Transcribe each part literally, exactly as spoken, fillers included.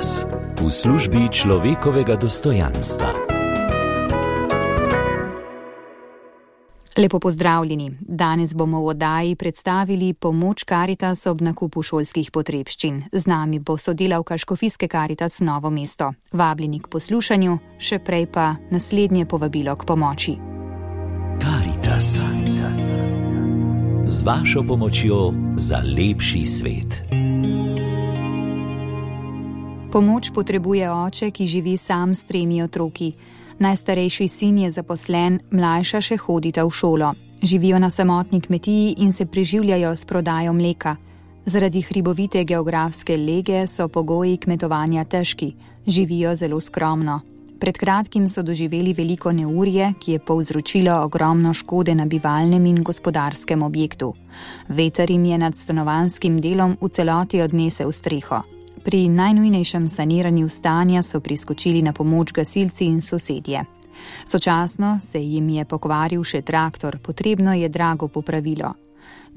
Karitas v službi človekovega dostojanstva. Lepo pozdravljeni. Danes bomo v oddaji predstavili pomoč Karitas ob nakupu šolskih potrebščin. Z nami bo sodelavka Škofijske Karitas Novo mesto. Vabljeni k poslušanju, še prej pa naslednje povabilo k pomoči. Karitas. Z vašo pomočjo za lepši svet. Pomoč potrebuje oče, ki živi sam s tremi otroki. Najstarejši sin je zaposlen, mlajša še hodita v šolo. Živijo na samotni kmetiji in se preživljajo s prodajo mleka. Zaradi hribovite geografske lege so pogoji kmetovanja težki. Živijo zelo skromno. Pred kratkim so doživeli veliko neurje, ki je povzročilo ogromno škode na bivalnem in gospodarskem objektu. Veter jim je nad stanovanjskim delom v celoti odnesel streho. Pri najnujnejšem saniranju stanja so priskočili na pomoč gasilci in sosedje. Sočasno se jim je pokvaril še traktor, potrebno je drago popravilo.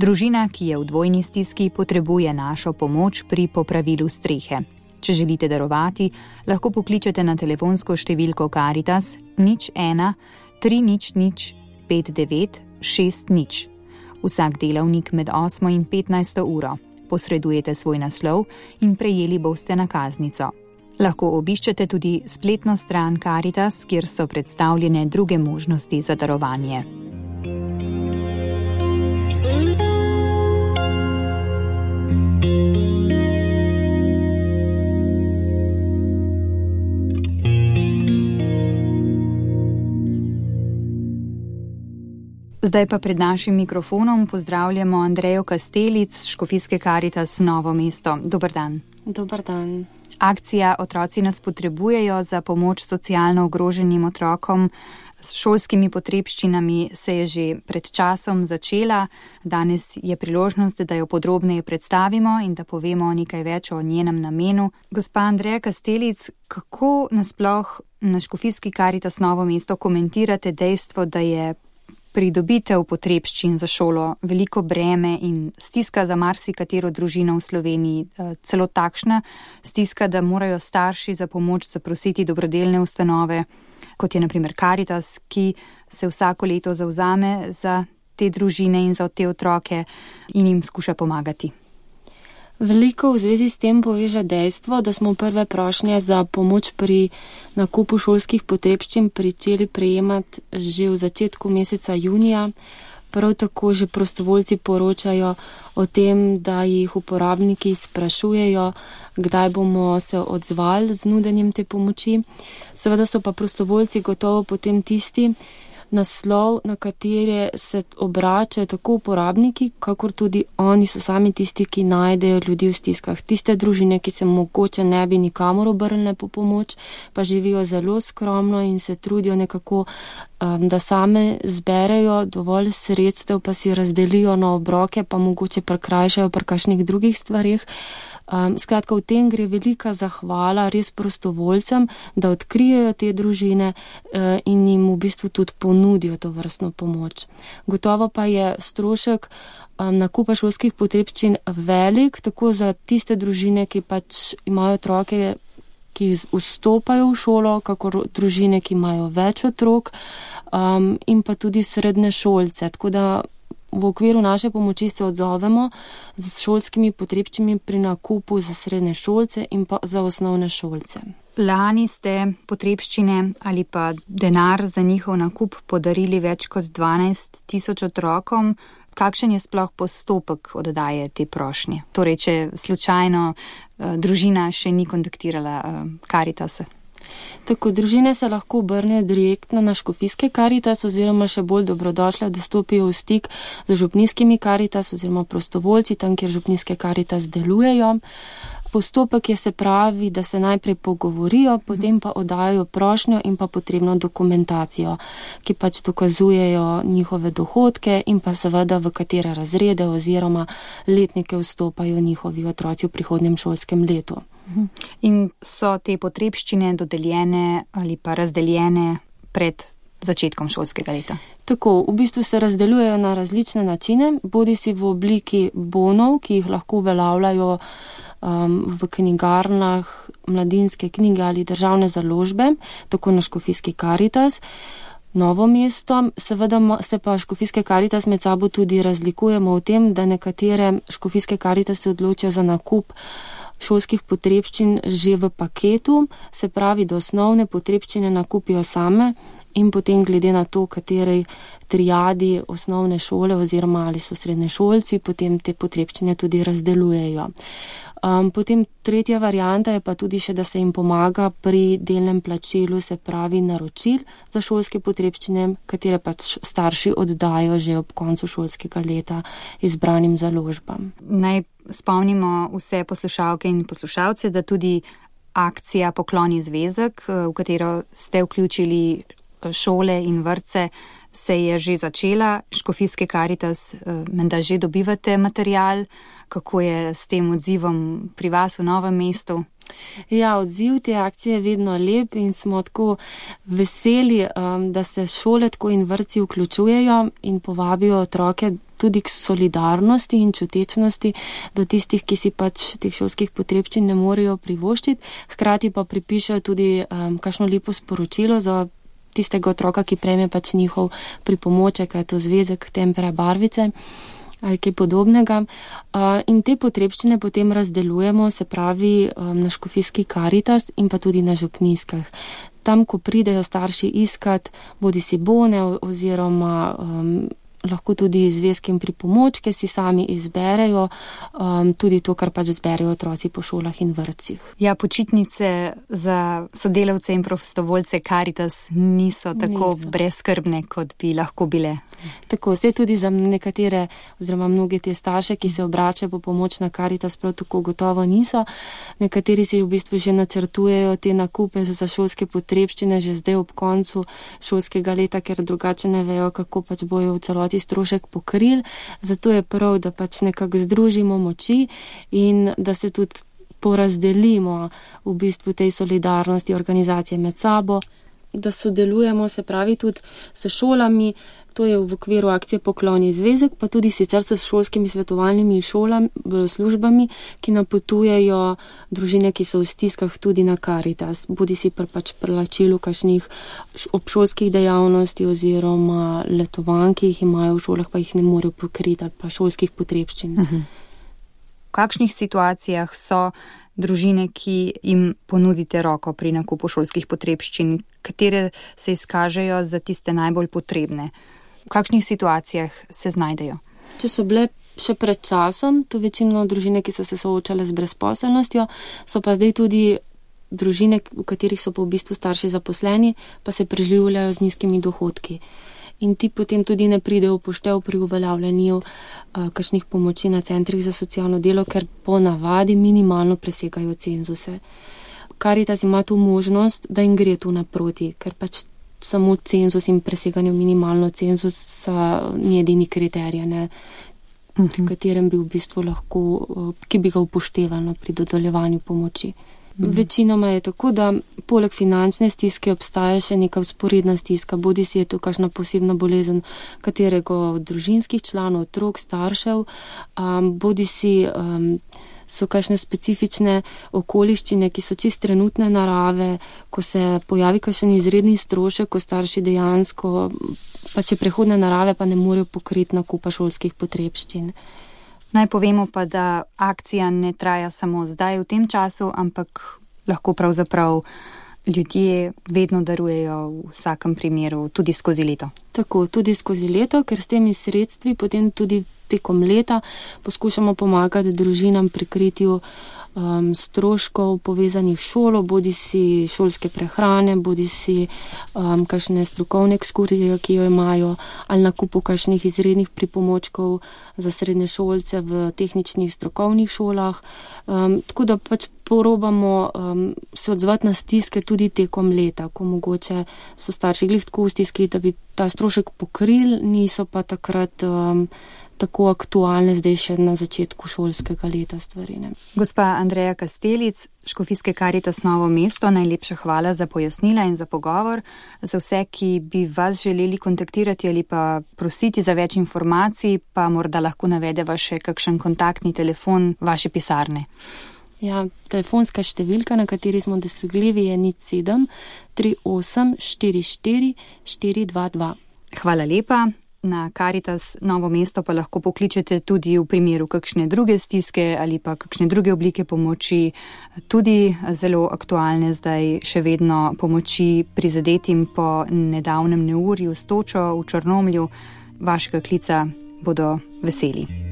Družina, ki je v dvojni stiski, potrebuje našo pomoč pri popravilu strehe. Če želite darovati, lahko pokličete na telefonsko številko Karitas nič ena tri nič nič pet devet šest nič. Vsak delavnik med osmo in petnajsto uro. Posredujete svoj naslov in prejeli boste nakaznico. Lahko obiščete tudi spletno stran Karitas, kjer so predstavljene druge možnosti za darovanje. Zdaj pa pred našim mikrofonom pozdravljamo Andrejo Kastelic z Škofijske Karitas Novo mesto. Dober dan. Dober dan. Akcija Otroci nas potrebujejo za pomoč socialno ogroženim otrokom s šolskimi potrebščinami se je že pred časom začela. Danes je priložnost, da jo podrobneje predstavimo in da povemo nekaj več o njenem namenu. Gospa Andreja Kastelic, kako nasploh na Škofijski Karitas Novo mesto komentirate dejstvo, da je pridobitev potrebščin za šolo veliko breme in stiska za marsikatero družino v Sloveniji, celo takšna stiska, da morajo starši za pomoč zaprositi dobrodelne ustanove, kot je na primer Karitas, ki se vsako leto zavzame za te družine in za te otroke in jim skuša pomagati. Veliko v zvezi s tem poveže dejstvo, da smo prve prošnje za pomoč pri nakupu šolskih potrebščin pričeli prejemati že v začetku meseca junija. Prav tako že prostovoljci poročajo o tem, da jih uporabniki sprašujejo, kdaj bomo se odzvali z nudenjem te pomoči. Seveda so pa prostovoljci gotovo potem tisti naslov, na katere se obračajo tako uporabniki, kakor tudi oni so sami tisti, ki najdejo ljudi v stiskah. Tiste družine, ki se mogoče ne bi nikamor obrnile po pomoč, pa živijo zelo skromno in se trudijo nekako, um, da same zberejo dovolj sredstev, pa si razdelijo na obroke, pa mogoče prekrajšajo pri kakšnih drugih stvarih. Um, skratka, v tem gre velika zahvala res prostovoljcem, da odkrijejo te družine uh, in jim v bistvu tudi ponudijo to vrstno pomoč. Gotovo pa je strošek um, nakupa šolskih potrebščin velik, tako za tiste družine, ki pač imajo otroke, ki vstopajo v šolo, kakor družine, ki imajo več otrok, um, in pa tudi srednje šolce. Tako da v okviru naše pomoči se odzovemo z šolskimi potrebščinami pri nakupu za srednje šolce in pa za osnovne šolce. Lani ste potrebščine ali pa denar za njihov nakup podarili več kot dvanajst tisoč otrokom. Kakšen je sploh postopek oddaje te prošnje? Torej, če slučajno uh, družina še ni kontaktirala uh, Karitasa. Tako, družine se lahko obrnejo direktno na Škofijske Karitas oziroma še bolj dobrodošle, da stopijo v stik z župnijskimi Karitas oziroma prostovoljci, tam, kjer župnijske Karitas delujejo. Postopek je, se pravi, da se najprej pogovorijo, potem pa oddajo prošnjo in pa potrebno dokumentacijo, ki pač dokazujejo njihove dohodke in pa seveda v katere razrede oziroma letnike vstopajo njihovi otroci v prihodnjem šolskem letu. In so te potrebščine dodeljene ali pa razdeljene pred začetkom šolskega leta? Tako, v bistvu se razdeljujejo na različne načine, bodi si v obliki bonov, ki jih lahko uveljavljajo um, v knjigarnah Mladinske knjige ali državne založbe, tako na Škofijski Karitas. Novo mesto, seveda se pa Škofijske Karitas med sabo tudi razlikujemo v tem, da nekatere Škofijske Karitas se odločijo za nakup šolskih potrebščin že v paketu, se pravi, da osnovne potrebščine nakupijo same in potem glede na to, katerej triadi osnovne šole oziroma ali so srednješolci, potem te potrebščine tudi razdelujejo. Um, potem tretja varianta je pa tudi še, da se jim pomaga pri delnem plačilu, se pravi naročil za šolske potrebščine, katere pač starši oddajo že ob koncu šolskega leta izbranim založbam. Naj spomnimo vse poslušalke in poslušalce, da tudi akcija Pokloni zvezek, v katero ste vključili šole in vrtce, se je že začela. Škofijske Karitas, menda že dobivate material. Kako je s tem odzivom pri vas v Novem mestu? Ja, odziv te akcije je vedno lep in smo tako veseli, da se šole tako in vrtci vključujejo in povabijo otroke tudi k solidarnosti in čutečnosti do tistih, ki si pač teh šolskih potrebščin ne morejo privoščiti. Hkrati pa pripišejo tudi um, kakšno lepo sporočilo za tistega otroka, ki prejme pač njihov pripomoček, je to zvezek, tempera, barvice ali kaj podobnega. In te potrebščine potem razdelujemo, se pravi na Škofijski Karitas in pa tudi na župnijskih. Tam, ko pridejo starši iskat, bodi si bone oziroma um, lahko tudi zvezke in pripomočke si sami izberejo, um, tudi to, kar pač zberejo otroci po šolah in vrtcih. Ja, počitnice za sodelavce in prostovoljce Karitas niso tako niso. brezskrbne, kot bi lahko bile. Tako, vse tudi za nekatere oziroma mnoge te starše, ki se obračajo po pomoč na Karitas, prav tako gotovo niso. Nekateri si v bistvu že načrtujejo te nakupe za šolske potrebščine že zdaj ob koncu šolskega leta, ker drugače ne vejo, kako pač bojo v celoti strošek pokril. Zato je prav, da pač nekako združimo moči in da se tudi porazdelimo v bistvu tej solidarnosti organizacije med sabo, da sodelujemo, se pravi tudi s šolami. To je v okviru akcije Pokloni zvezek, pa tudi sicer s šolskimi svetovalnimi šolami, službami, ki napotujejo družine, ki so v stiskah tudi na Karitas. Bodi si pri pač plačilu kakšnih obšolskih dejavnosti oziroma letovanj, ki jih imajo v šolah, pa jih ne morejo pokriti, ali pa šolskih potrebščin. Uh-huh. V kakšnih situacijah so družine, ki jim ponudite roko pri nakupu šolskih potrebščin, katere se izkažejo za tiste najbolj potrebne? V kakšnih situacijah se znajdejo? Če so bile še pred časom, to večino družine, ki so se soočale z brezposelnostjo, so pa zdaj tudi družine, v katerih so pa v bistvu starši zaposleni, pa se preživljajo z nizkimi dohodki. In ti potem tudi ne pridejo v poštev pri uveljavljanju uh, kakšnih pomoči na centrih za socialno delo, ker po navadi minimalno presegajo cenzuse. Karitas ima tu možnost, da jim gre tu naproti, ker pač samo cenzus in preseganje minimalno cenzusa ni edini kriterij, ne, uh-huh. pri katerem bi v bistvu lahko, ki bi ga upoštevalo pri dodeljevanju pomoči. Uh-huh. Večinoma je tako, da poleg finančne stiske obstaja še neka vzporedna stiska, bodi si je to kakšna posebna bolezen katerega od družinskih članov, otrok, staršev, um, bodi si um, so kakšne specifične okoliščine, ki so čist trenutne narave, ko se pojavi kakšen izredni strošek, ko starši dejansko, pa če prehodne narave, pa ne morejo pokriti nakupa šolskih potrebščin. Naj povemo pa, da akcija ne traja samo zdaj v tem času, ampak lahko pravzaprav ljudje vedno darujejo v vsakem primeru, tudi skozi leto. Tako, tudi skozi leto, ker s temi sredstvi potem tudi tekom leta poskušamo pomagati družinam pri kritju um, stroškov povezanih šolo, bodi si šolske prehrane, bodi si um, kakšne strokovne ekskurzije, ki jo imajo, ali nakupu kakšnih izrednih pripomočkov za srednje šolce v tehničnih strokovnih šolah. Um, tako da pač porobamo um, se odzvati na stiske tudi tekom leta, ko mogoče so starši glih tako v stiski, da bi ta strošek pokril, niso pa takrat um, tako aktualne zdaj še na začetku šolskega leta stvari. Ne. Gospa Andreja Kastelic, Škofijske Karitas Novo mesto, najlepša hvala za pojasnila in za pogovor. Za vse, ki bi vas želeli kontaktirati ali pa prositi za več informacij, pa morda lahko navedeva še kakšen kontaktni telefon vaše pisarne. Ja, telefonska številka, na kateri smo dosegljivi, je nič sedem tri osem štiri štiri štiri dva dva. Hvala lepa. Na Karitas Novo mesto pa lahko pokličete tudi v primeru kakšne druge stiske ali pa kakšne druge oblike pomoči, tudi zelo aktualne zdaj še vedno pomoči prizadetim po nedavnem neurju s točo v Črnomlju. Vašega klica bodo veseli.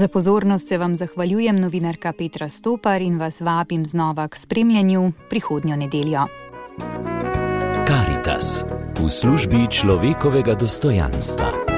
Za pozornost se vam zahvaljujem, novinarka Petra Stopar, in vas vabim znova k spremljanju prihodnjo nedeljo. Karitas v službi človekovega dostojanstva.